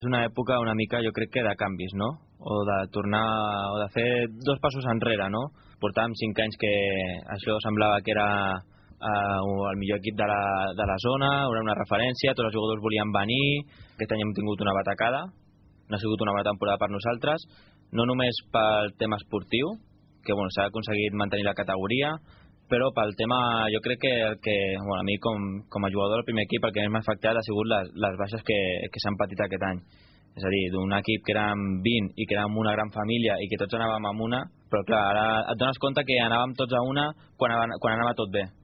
És una època una mica, jo crec que de canvis, no? O de tornar, o de fer dos passos enrere, no? Portàvem 5 anys que això semblava que era el millor equip de la zona, era una referència, tots els jugadors volien venir, aquest any hem tingut una batacada, no ha sigut una bona temporada per nosaltres, no només pel tema esportiu, que bueno, s'ha aconseguit mantenir la categoria, però pel tema, jo crec que bueno, a mi com a jugador del primer equip el que més m'ha afectat ha sigut les baixes que s'han patit aquest any. És a dir, d'un equip que érem 20 i que érem una gran família i que tots anàvem amb una, però clar, ara et dones compte que anàvem tots a una quan anava tot bé.